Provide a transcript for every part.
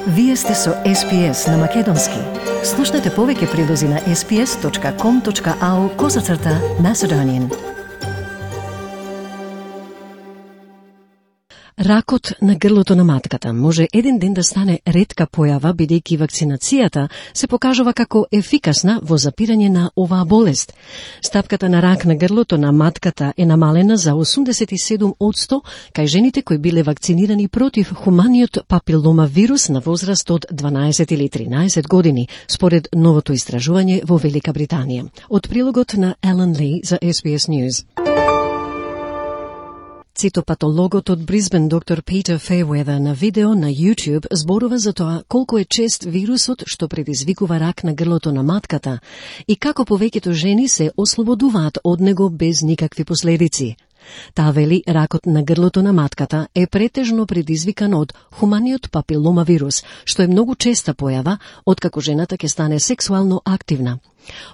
Вие сте со SPS на Македонски. Слушнете повеќе прилози на sps.com.au/Macedonian. Ракот на грлото на матката може еден ден да стане ретка појава, бидејќи вакцинацијата се покажува како ефикасна во запирање на оваа болест. Стапката на рак на грлото на матката е намалена за 87% кај жените кои биле вакцинирани против хуманиот папиломавирус на возраст од 12 или 13 години, според новото истражување во Велика Британија. Од прилогот на Елен Ли за SBS News. Цитопатологот од Брисбен доктор Питер Фейуедер на видео на YouTube зборува за тоа колку е чест вирусот што предизвикува рак на грлото на матката и како повеќето жени се ослободуваат од него без никакви последици. Таа вели ракот на грлото на матката е претежно предизвикан од хуманиот папиломавирус, што е многу честа појава откако жената ќе стане сексуално активна.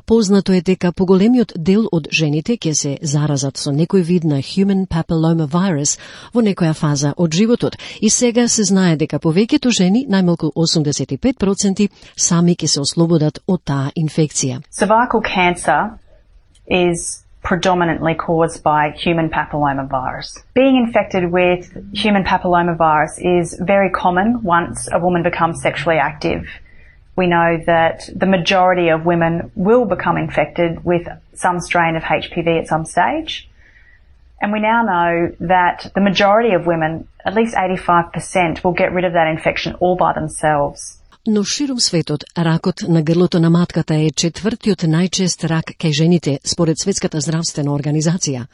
Познато е дека поголемиот дел од жените ќе се заразат со некој вид на human papillomavirus во некоја фаза од животот и сега се знае дека повеќето жени, најмалку 85%, сами ќе се ослободат од таа инфекција. Cervical cancer is predominantly caused by human papillomavirus. Being infected with human papillomavirus is very common once a woman becomes sexually active. We know that the majority of women will become infected with some strain of HPV at some stage. And we now know that the majority of women, at least 85%, will get rid of that infection all by themselves. Но ширум светот, ракот на грлото на матката е четвртиот најчест рак кај жените, според Светската здравствена организација.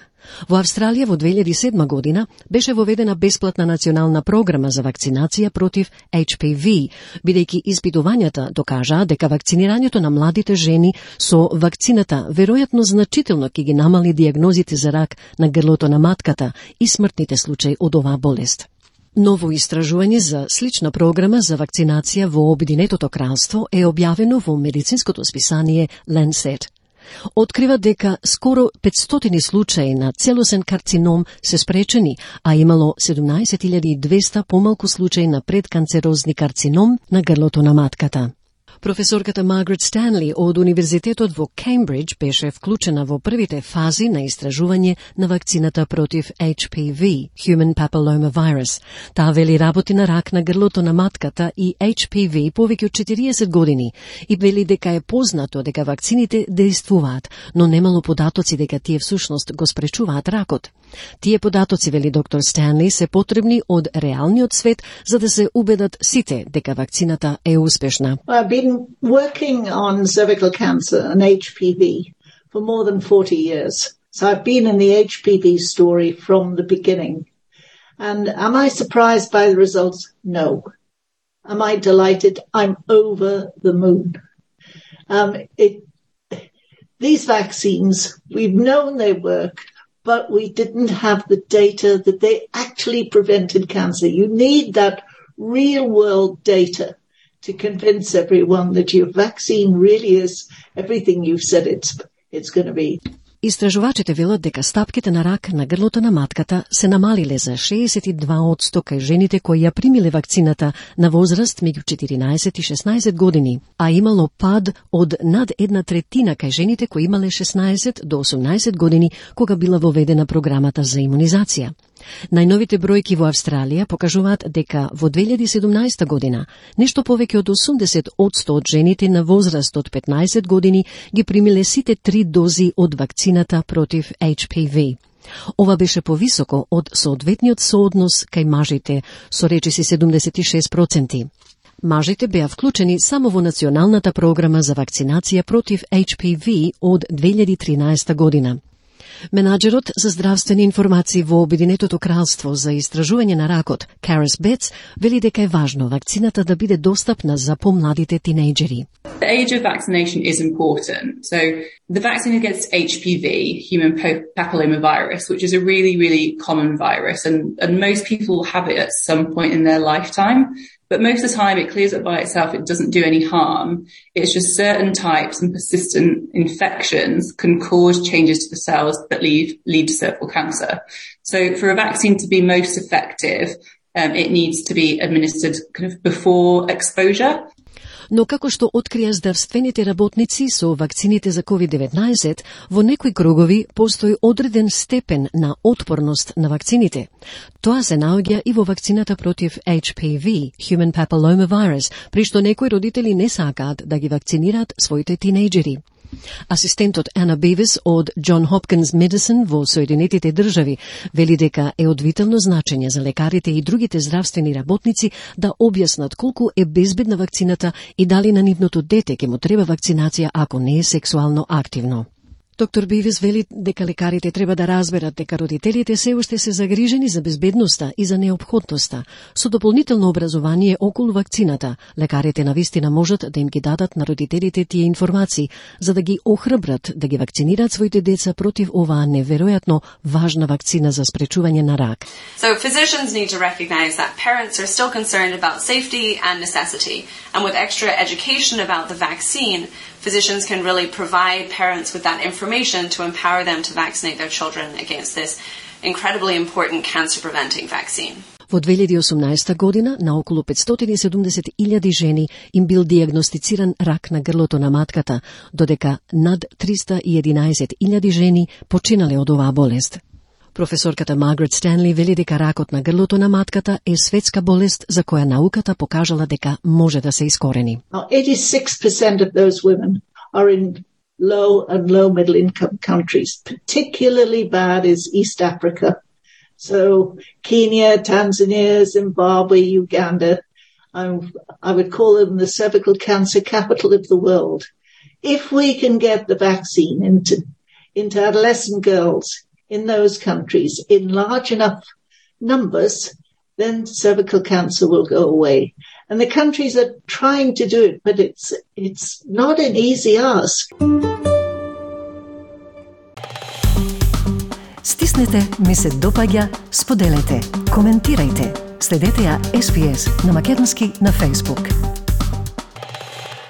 Во Австралија во 2007 година беше воведена бесплатна национална програма за вакцинација против HPV, бидејќи испитувањата докажаа дека вакцинирањето на младите жени со вакцината веројатно значително ќе ги намали дијагнозите за рак на грлото на матката и смртните случаи од оваа болест. Ново истражување за слична програма за вакцинација во Обединетото кралство е објавено во медицинското списание Lancet. Открива дека скоро 500 случаи на целосен карцином се спречени, а имало 17.200 помалку случаи на предканцерозни карцином на грлото на матката. Професорката Маргарет Станли од Универзитетот во Кеймбридж беше вклучена во првите фази на истражување на вакцината против HPV, Human Papillomavirus. Таа вели работи на рак на грлото на матката и HPV повеќе од 40 години и вели дека е познато дека вакцините действуваат, но немало податоци дека тие всушност го спречуваат ракот. Тие податоци, вели доктор Станли, се потребни од реалниот свет за да се убедат сите дека вакцината е успешна. I've been working on cervical cancer and HPV for more than 40 years. So I've been in the HPV story from the beginning. And am I surprised by the results? No. Am I delighted? I'm over the moon. These vaccines, we've known they work, but we didn't have the data that they actually prevented cancer. You need that real-world data to convince everyone that your vaccine really is everything you've said it's going to be. Истражувачите велат дека стапките на рак на грлото на матката се намалиле за 62% кај жените кои ја примиле вакцината на возраст меѓу 14 и 16 години, а имало пад од над 1/3 кај жените кои имале 16 до 18 години кога била воведена програмата за имунизација. Најновите бројки во Австралија покажуваат дека во 2017 година нешто повеќе од 80% од жените на возраст од 15 години ги примиле сите 3 дози од вакцината против HPV. Ова беше повисоко од соодветниот сооднос кај мажите, со речиси 76%. Мажите беа вклучени само во националната програма за вакцинација против HPV од 2013 година. Менаџерот за здравствени информации во Обединетото кралство за истражување на ракот, Карис Бетс, вели дека е важно вакцината да биде достапна за помладите тинејџери. The age of vaccination is important. So the vaccine against HPV, human papillomavirus, which is a really, really common virus, and most people have it at some point in their lifetime. But most of the time it clears up by itself, it doesn't do any harm. It's just certain types and persistent infections can cause changes to the cells that lead to cervical cancer. So for a vaccine to be most effective, it needs to be administered kind of before exposure. Но како што открија здравствените работници со вакцините за COVID-19, во некои кругови постои одреден степен на отпорност на вакцините. Тоа се наоѓа и во вакцината против HPV, Human Papillomavirus, при што некои родители не сакаат да ги вакцинираат своите тинејџери. Асистентот Ана Бивис од John Hopkins Medicine во Соединетите држави вели дека е од витално значење за лекарите и другите здравствени работници да објаснат колку е безбедна вакцината и дали на нивното дете ќе му треба вакцинација ако не е сексуално активно. Доктор Бивис вели дека лекарите треба да разберат дека родителите се уште се загрижени за безбедноста и за неопходноста. Со дополнително образование околу вакцината, лекарите навистина можат да им ги дадат на родителите тие информации, за да ги охрабрат да ги вакцинираат своите деца против оваа неверојатно важна вакцина за спречување на рак. So physicians need to recognize that parents are still concerned about safety and necessity, and with extra education about the vaccine, physicians can really provide parents with that information to empower them to vaccinate their children against this incredibly important cancer-preventing vaccine. Во 2018 година на околу 570,000 жени им бил диагностициран рак на грлото на матката, додека над 311,000 жени починале од оваа болест. Професорката Маргарет Стенли вели дека ракот на грлото на матката е светска болест за која науката покажала дека може да се искорени. 86% of those women are in low and low middle income countries. Particularly bad is East Africa. So Kenya, Tanzania, Zimbabwe, Uganda. I would call them the cervical cancer capital of the world. If we can get the vaccine into adolescent girls in those countries in large enough numbers, then cervical cancer will go away. And the countries are trying to do it, but it's not an easy ask. Стиснете, ми се допаѓа, споделете, коментирајте. Следете ја SPS на македонски на Facebook.